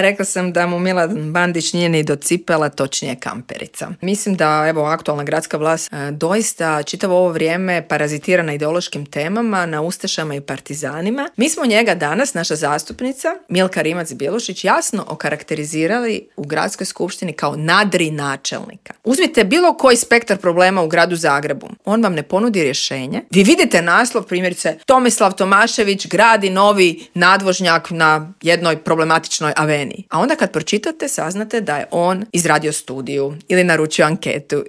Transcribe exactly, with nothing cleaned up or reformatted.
Rekla sam da mu Milan Bandić nije ni do cipela, točnije kamperica. Mislim da evo aktualna gradska vlast e, doista čitavo ovo vrijeme parazitira na ideološkim temama, na ustašama i partizanima. Mi smo njega danas, naša zastupnica Milka Rimac-Bjelušić, jasno okarakterizirali u gradskoj skupštini kao nadri načelnika. Uzmite bilo koji spektar problema u gradu Zagrebu, on vam ne ponudi rješenje. Vi vidite naslov, primjerice, Tomislav Tomašević gradi novi nadvožnjak na jednoj problematičnoj aveniji. A onda kad pročitate, saznate da je on izradio studiju ili naručio anketu